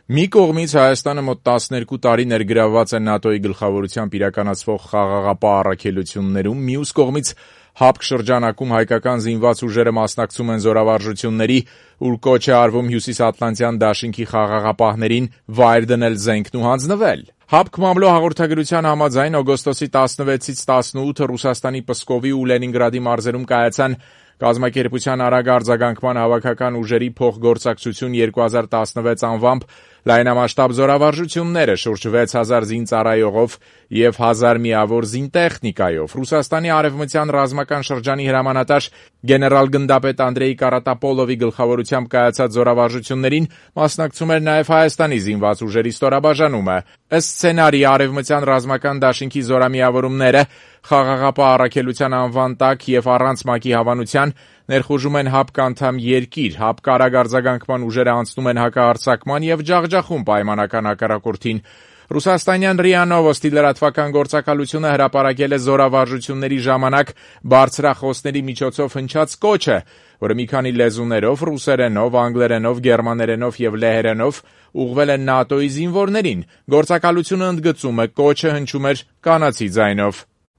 Մի կողմից Հայաստանը մոտ 12 տարի ներգրավված է ՆԱՏՕ-ի գլխավորությամբ իրականացվող խաղաղապահ առաքելություններում, մյուս կողմից ՀԱՊԿ շրջանակում հայկական զինված ուժերը մասնակցում են զորավարժությունների, ուր կոչ է արվում Հյուսիսատլանտյան դաշինքի խաղաղապահներին վայր դնել զենքն ու հանձնվել։ ՀԱՊԿ մամլո հաղորդագրության համաձայն օգոստոսի 16-ից 18 Ռուսաստանի Պսկովի ու Լենինգրադի մարզերում կայացան կազմակերպության արագ արձագանքման հավաքական ուժերի փոխգործակցություն 2016 անվամբ լայնամասշտաբ զորավարժությունները շուրջ 6000 զինծառայողով և 1000 միավոր զինտեխնիկայով։ Ռուսաստանի արևմտյան ռազմական շրջանի հրամանատար գեներալ-գնդապետ Անդրեյ Կարատապոլովի գլխավորությամբ կայացած զորավարժություններին մասնակցում էր նաև Հայաստանի զինված ուժերի ստորաբաժանումը։ Ըստ սցենարի արևմտյան ռազմական դաշինքի զորամիավորումները խաղաղապահ առաքելության անվան տակ և առանց ՄԱԿ-ի հավանության ներխուժում են ՀԱՊԿ անդամ երկիր, ՀԱՊԿ արագ արձագանքման ուժերը անցնում են հակահարձակման և ջախջախում պայմանական հակառակորդին։ Ռուսաստանյան ՌԻԱ Նովոստի լրատվական գործակալությունը հրապարակել է զորավարժությունների ժամանակ բարձրախոսների միջոցով հնչած կոչը, որը մի քանի լեզուներով՝ ռուսերենով, անգլերենով, գերմաներենով և լեհերենով ուղղվել է ՆԱՏՕ-ի զինվորներին։ Գործակալությունը ընդգծում է՝ կոչը հնչում էր կանացի ձայնով։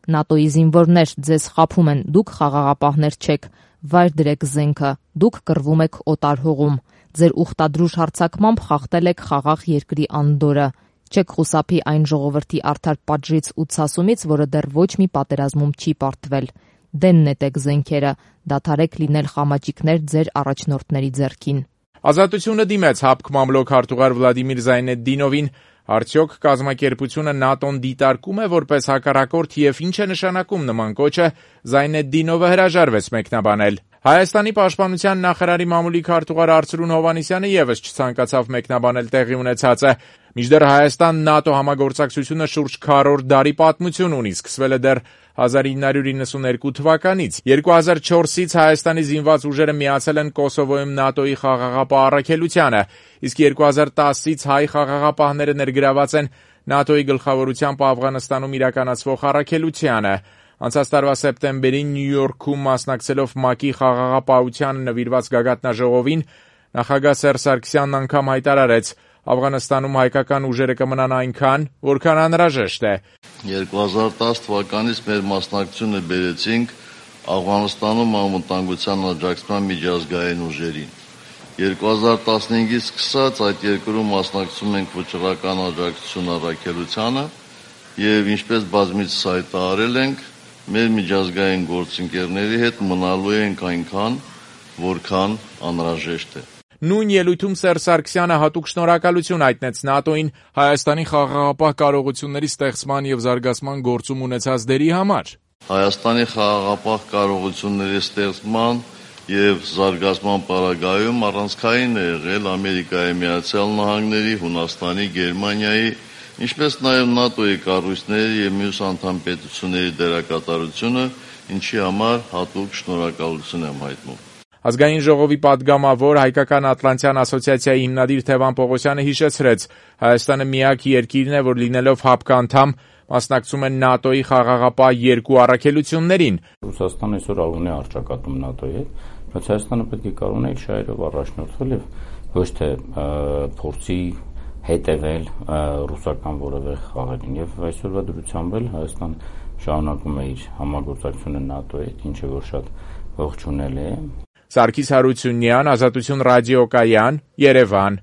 ՆԱՏՕ-ի զինվորներ, ձեզ խաբում են, դուք խաղաղապահներ չեք, վայր դրեք զենքը, դուք կռվում եք օտար հողում, ձեր ուխտադրուժ հարձակմամբ խախտել եք խաղաղ երկրի անդորրը, չեք խուսափի այն ժողովրդի արդար պատժից ու ցասումից, որը դեռ ոչ մի պատերազմում չի պարտվել, դեն նետեք զենքերը, դադարեք լինել խամաճիկներ ձեր առաջնորդների ձեռքին։ Ազատությունը դիմեց ՀԱՊԿ մամլո քարտուղար Վլադիմիր Զայնեդդինովին, արդյոք կազմակերպությունը ՆԱՏՕ-ն դիտարկում է որպես հակառակորդ և ինչ է նշանակում նման կոչը, Զայնեդդինովը հրաժարվեց մեկնաբանել։ Հայաստանի պաշտպանության նախարարի մամուլի քարտուղար Արծրուն Հովհաննիսյանը ևս չցանկացավ մեկնաբանել տեղի ունեցածը։ Մինչդեռ Հայաստան-ՆԱՏՕ համագործակցությունը շուրջ քառորդ դարի պատմություն ունի, սկսվել է դեռ 1992 թվականից։ 2004-ից Հայաստանի զինված ուժերը միացել են Կոսովոյում ՆԱՏՕ-ի խաղաղապահ առաքելությանը, իսկ 2010-ից հայ խաղաղապահները ներգրաված են ՆԱՏՕ-ի գլխավորությամբ Աֆղանստանում իրականացվող առաքելությանը։ Անցած տարվա սեպտեմբերին Նյու Յորքում մասնակցելով ՄԱԿ-ի խաղաղապահությանը նվիրված գագաթնաժողովին նախագահ Սերժ Սարգսյանն անգամ հայտարարեց՝ Աֆղանստանում հայկական ուժերը կմնան այնքան, որքան անհրաժեշտ է։ 2010 թվականից մեր մասնակցությունը բերեցինք Աֆղանստանում անվտանգության աջակցման միջազգային ուժերին։ 2015-ից սկսած այդ երկրում մասնակցում ենք վճռական աջակցություն առաքելությանը և ինչպես բազմիցս հայտարարել ենք, մեր միջազգային գործընկերների հետ մնալու ենք այնքան, որքան անհրաժեշտ է։ Նույն ելույթում Սերժ Սարգսյանը հատուկ շնորհակալություն հայտնեց ՆԱՏՕ-ին Հայաստանի խաղաղապահ կարողությունների ստեղծման և զարգացման գործում ունեցած դերի համար։ Հայաստանի խաղաղապահ կարողությունների ստեղծման և զարգացման պարագայում առանցքային է եղել Ամերիկայի Միացյալ Նահանգների, Հունաստանի, Գերմանիայի, ինչպես նաև ՆԱՏՕ-ի կառույցների և մյուս անդամ պետությունների դերակատարությունը, ինչի համար հատուկ շնորհակալություն եմ հայտնում։ Ազգային ժողովի պատգամավոր Հայկական Ատլանտյան ասոցիացիայի հիմնադիր Թևան Պողոսյանը հիշեցրեց՝ Հայաստանը միակ երկիրն է, որ լինելով ՀԱՊԿ անդամ մասնակցում է ՆԱՏՕ-ի խաղաղապահ երկու առաքելություններին։ Ռուսաստանը այսօր ունի առճակատում ՆԱՏՕ-ի հետ, բայց Հայաստանը պետք է կարողանա իր շահերով առաջնորդվել և ոչ թե փորձի հետևել ռուսական որևէ խաղերին։ Եվ այսօրվա դրությամբ էլ Հայաստանը շարունակում է իր համագործակցությունը ՆԱՏՕ-ի հետ, ինչը որ շատ ողջունելի է։ Սարգիս Հարությունյան, Ազատություն ռադիոկայան, Երևան։